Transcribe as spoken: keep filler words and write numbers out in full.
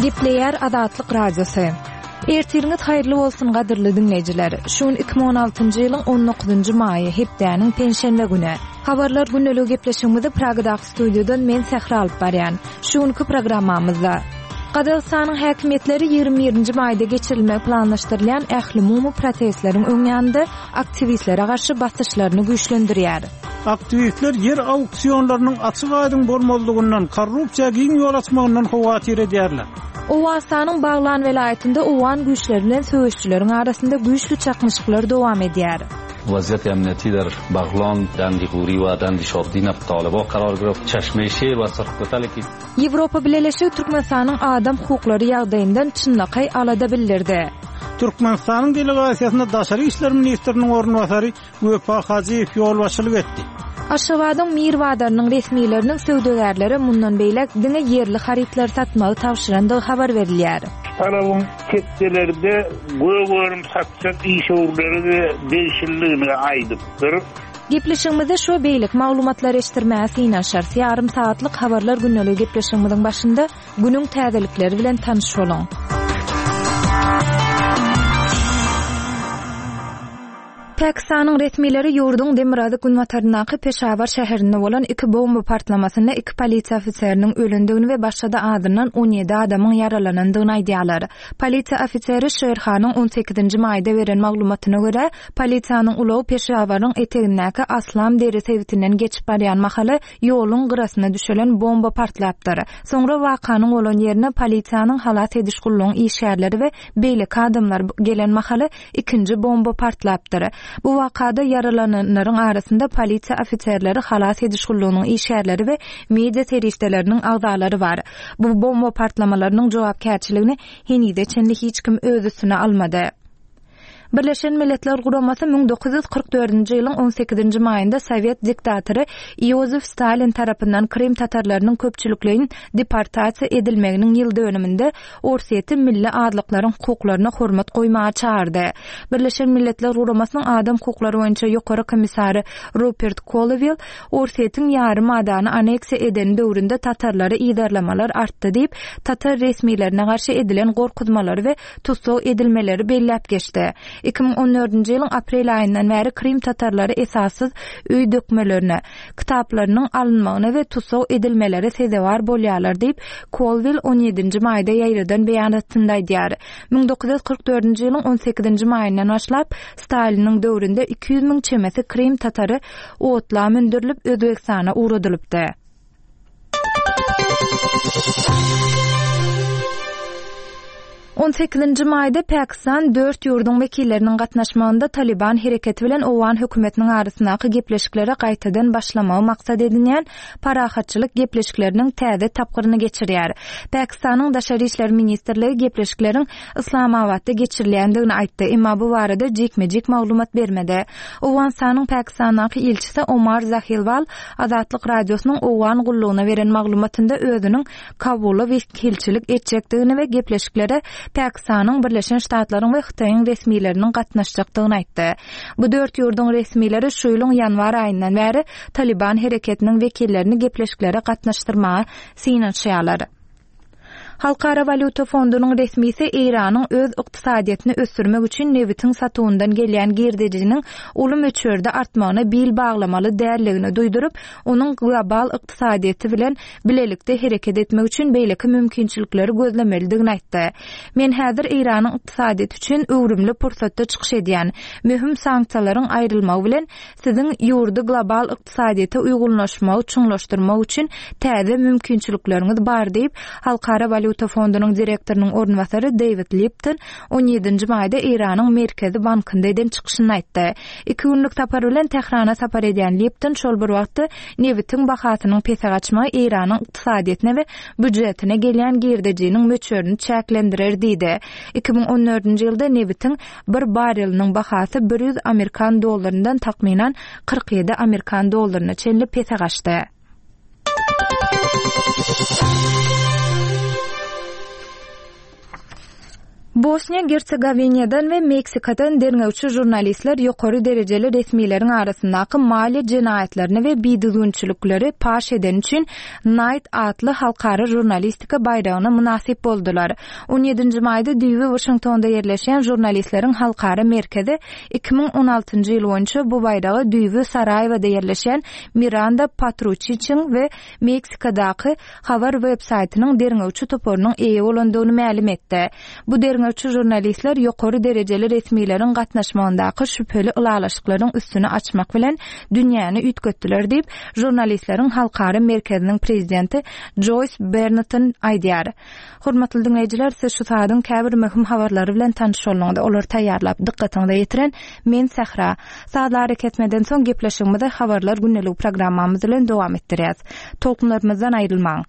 Gepleýär Azatlyk Radiosy. Ertiriňiz haýyrly bolsun gadyrly diňleýjiler. Şu gün iki müň on altynjy ýylyň on dokuzynjy maýy, hepdäniň penşenbe güni. Habarlar gündelik gepleşigimizi Pragadaky studiýadan men Sähra alyp barýan. Şu günki programmamyzda Gazagystanyň häkimiýetleri ýigrimi birinji maýda geçirilmegi planlaşdyrylýan ählumumy protestleriň öň ýanynda aktiwistlere garşy basyşlaryny güýçlendirýär. Aktiwistler ýer auksionlarynyň açyk aýdyň bolmazlygyndan, korrupsiýa giň ýol açmagyndan howatyr edýärler. Owganystanyň Baglan welaýatynda owgan güýçleri bilen söweşçileriň arasynda güýçli çaknyşyklar dowam edýär. Vaziyet emniyeti der Baglan, Dandi Guri we Dandi Şabdin Taliba karar girip, Çeşme Şir we Sırklıtal ki Ýewropa Bileleşigi Türkmenistanyň adam hukuklary ýagdaýyndan çynlakaý alada bildirdi. Türkmenistanyň delegasiýasyna Daşary işler ministriniň orunbasary Wepa Hajyýew ýolbaşçylyk etdi. Aşgabadyň Mir bazarynyň resmileriniň söwdagärlere mundan beýläk diňe ýerli harytlary satmagy tabşyrandygy habar berilýär. Talabyň tekjelerde gök-örüm satjak işewürleri de degişliligini aýdypdyr. Gepleşigimizde şu beýlek maglumatlary eşitdirmäge synanyşarys. Ýarym saatlyk habarlar gündelik gepleşigimiziň başynda günüň täzelikleri bilen tanyş boluň. Pakistanyň resmileri ýurduň demirgazyk günbataryndaky Peşawar şäherinde bolan iki bomba partlamasynda iki polisiýa ofiseriniň ölendigini we başga-da azyndan on ýedi adamyň ýaralanandygyny aýdýarlar. Polisiýa ofiseri Şerhanyň on sekizinji maýda beren maglumatyna görä, polisiýanyň ulagy Peşawaryň etegindäki Aslam deri sebitinden geçip barýan mahaly ýoluň gyrasyna düşelen bomba partlapdyr. Soňra wakanyň bolan ýerine polisiýanyň halas ediş gullugyň işgärleri we beýleki adamlar gelen mahaly ikinji bomba partlapdyr. Bu wakada ýaralananlaryň arasynda polisiýa ofiserleri, halas ediş gullugynyň işgärleri we media serişdeleriniň agzalary bar. Bu bomba partlamalarynyň jogapkärçiligini henize çenli hiç kim öz üstüne almady. Birleşen Milletler Guramasy müň dokuz ýüz kyrk dördünji ýylyň on sekizinji maýynda Sowet diktatory Iosif Stalin tarapyndan Krym tatarlarynyň köpçülikleýin deportasiýa edilmeginiň ýyl dönüminde Orsýeti milli azlyklaryň hukuklaryna hormat goýmaga çağırdy. Birleşen Milletler Guramasynyň adam hukuklary boýunça ýokary komissary Rupert Colville Orsýetiň ýarym adany aneksiýa eden döwründe tatarlary yzarlamalar artdy diýip, tatar resmilerine garşy edilen gorkuzmalary we tussag edilmeleri belläp geçdi. Iki müň on dördünji ýylyň aprel aýyndan bäri Krym tatarlary esassyz öý dökmelerine, kitaplarynyň alynmagyna we tussag edilmeleri sezewar bolýarlar diýip, Colville on ýedinji maýda ýaýradan beýanatynda aýdýar. Müň dokuz ýüz kyrk dördünji ýylyň on sekizinji maýyndan başlap Staliniň döwründe iki ýüz müň çemesi Krym tatary otla mündürilip Özbegistana ugradylypdy. On sekizinji maýda Pakistan dört ýurduň wekilleriniň gatnaşmagynda Taliban hereketi bilen Owgan hökümetiniň arasyndaky gepleşiklere gaýtadan başlamagy maksat edinýän parahatçylyk gepleşikleriniň täze tapgyryny geçirýär. Pakistanyň Daşary işler ministrligi gepleşikleriň Islamabadda geçirilýändigini aýtdy, emma bu barada jikme-jik maglumat bermedi. Owganystanyň Pakistandaky ilçisi Omar Zahilwal Azatlyk Radiosynyň Owgan gullugyna beren maglumatynda özüniň Kabula wekilçilik etjekdigini we gepleşiklere Pakistanyň Birleşen Ştatlaryň we Hytaýyň resmileriniň gatnaşjakdygyny aýtdy. Bu dört ýurduň resmileri şu ýylyň ýanwar aýyndan bäri Taliban hereketiniň wekillerini gepleşiklere gatnaşdyrmaga synanyşýarlar. Halkara Walýuta fondunyň resmisi Eýranyň öz ykdysadyýetini ösdürmek üçin nebitiň satuwyndan gelýän girdejiniň uly möçberde artmagyna bil baglamaly dälligini duýduryp, onuň global ykdysadyýeti bilen bilelikde hereket etmek üçin beýleki mümkinçilikleri gözlemelidigini aýtdy. Men häzir Eýranyň ykdysadyýeti üçin öwrümli pursatda çykyş edýän möhüm sanksiýalaryň aýrylmagy bilen siziň ýurdy global ykdysadyýete uýgunlaşmagy çuňlaşdyrmak üçin täze mümkinçilikleriňiz bar diýip, Halkara Walýuta fondunyň direktorynyň orunbasary David Lipton on ýedinji maýda Eýranyň Merkezi bankynda eden çykyşyny aýtdy. Iki günlük sapar bilen Tährana sapar edýän Lipton şol bir wagtda nebitiň bahasynyň pese gaçmagy Eýranyň ykdysadyýetine we býujetine gelýän girdejiniň möçberini çäklendirer diýdi. Iki müň on dördünji ýylda nebitiň bir bareliniň bahasy bir ýüz amerikan dollaryndan takmynan kyrk ýedi amerikan dollaryna çenli pese gaçdy. Bosniýa-Gersegowinadan we Meksikadan derňewçi žurnalistler ýokary derejeli resmileriň arasyndaky maliýe jenaýatlaryny we bidüzgünçilikleri paş edeni üçin Knight atly halkara žurnalistika baýragyna mynasyp boldular. On ýedinji maýda düýbi Waşingtonda ýerleşýän Žurnalistleriň halkara merkezi iki müň on altynjy ýyl boýunça bu baýraga düýbi Saraýewada ýerleşýän Miranda Patruçiçiň we Meksikadaky habar web-saýtynyň derňewçi toparynyň eýe bolandygyny mälim etdi. Bu derňewçi žurnalistler ýokary derejeli resmileriň gatnaşmagyndaky şübheli ylalaşyklaryň üstüni açmak bilen dünýäni üýtgetdiler diýip, Žurnalistleriň halkara merkeziniň prezidenti Joýs Berneton aýdýar. Hormatly diňleýjiler, siz şu saadyň käbir möhüm habarlary bilen tanyş bolduňyz. Olary taýýarlap, dykgatyňyza ýetiren men Sähra. Sazly arakesmeden soň gepleşigimizi Habarlar gündeligi programmamyz bilen dowam etdirýäs. Tolkunlarymyzdan aýrylmaň.